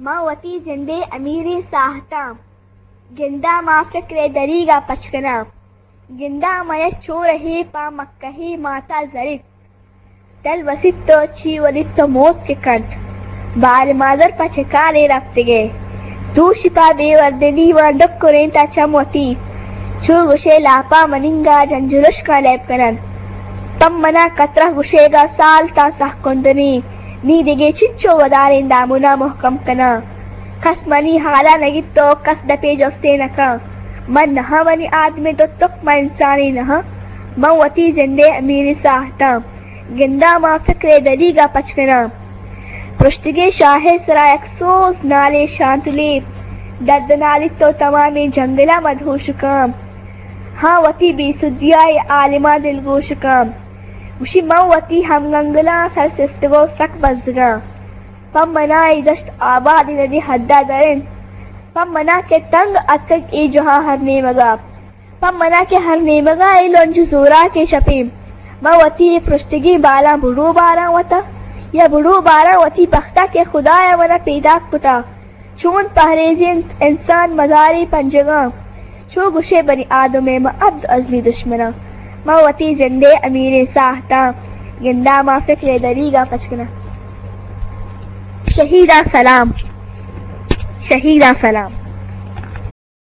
من وتی جندے امیریں ساہتاں، گنداں ماں فکرے دریگا پچ کناں۔ گنداں ماں یک چورہے پہ مکہے ماتا زریت۔ دل وسیت تو چی ولیت تو موت کہ کنت۔ بار مادر پہ چکالے رپتگے۔ دوشی پہ بے وردنی مان ڈکرینتا چم وتی۔ چو گوشے لاپا مننگا جنجلشکاں لیب کننت۔ پم منا کترہ گوشیگا سال تاں سہ کندنی۔ نی دگے چنچو وداریں دامنا مہکم کناں۔ کس منی حالا نگیت تو کس دپے جستے نکاں۔ من نہاں منی آدمے تو تک من انسانے نہاں۔ من وتی جندے امیریں ساہتاں۔ گنداں ماں فکرے دریگا پچ کناں۔ پرشتگیں شاہے سرا یک سوز نالے شانتلے۔ درد نالیت تو تمامیں جنگلا مدہوشکاں۔ ہاں وتی بے سدیا اے عالماں دلگوشکاں۔ گوشی من وتی ہمگنگلاں سر سستگو سک بزگاں۔ پہ منا اے دشت آباد ندی حدا در انت۔ پہ منا کہ تنگ اتکگ اے جہاں ہر نیمگا۔ پہ منا کہ ہر نیمگا اے لنج زوراکیں شپیں۔ من وتی اے پرشتگیں بالاں بڑو باراں وتا، یا بڑو باراں وتی بختا کہ خدایا منا پیداک کتا۔ چون پہریزینت انسان مزارے پنجگاں۔ چو گوشے بنی آدمے ما عبد ازلی دشمناں۔ ما وتی جندے امیریں ساہتاں۔ گنداں ما فکرے دریگا پچ کناں۔ شہیداں سلام۔ شہیداں سلام۔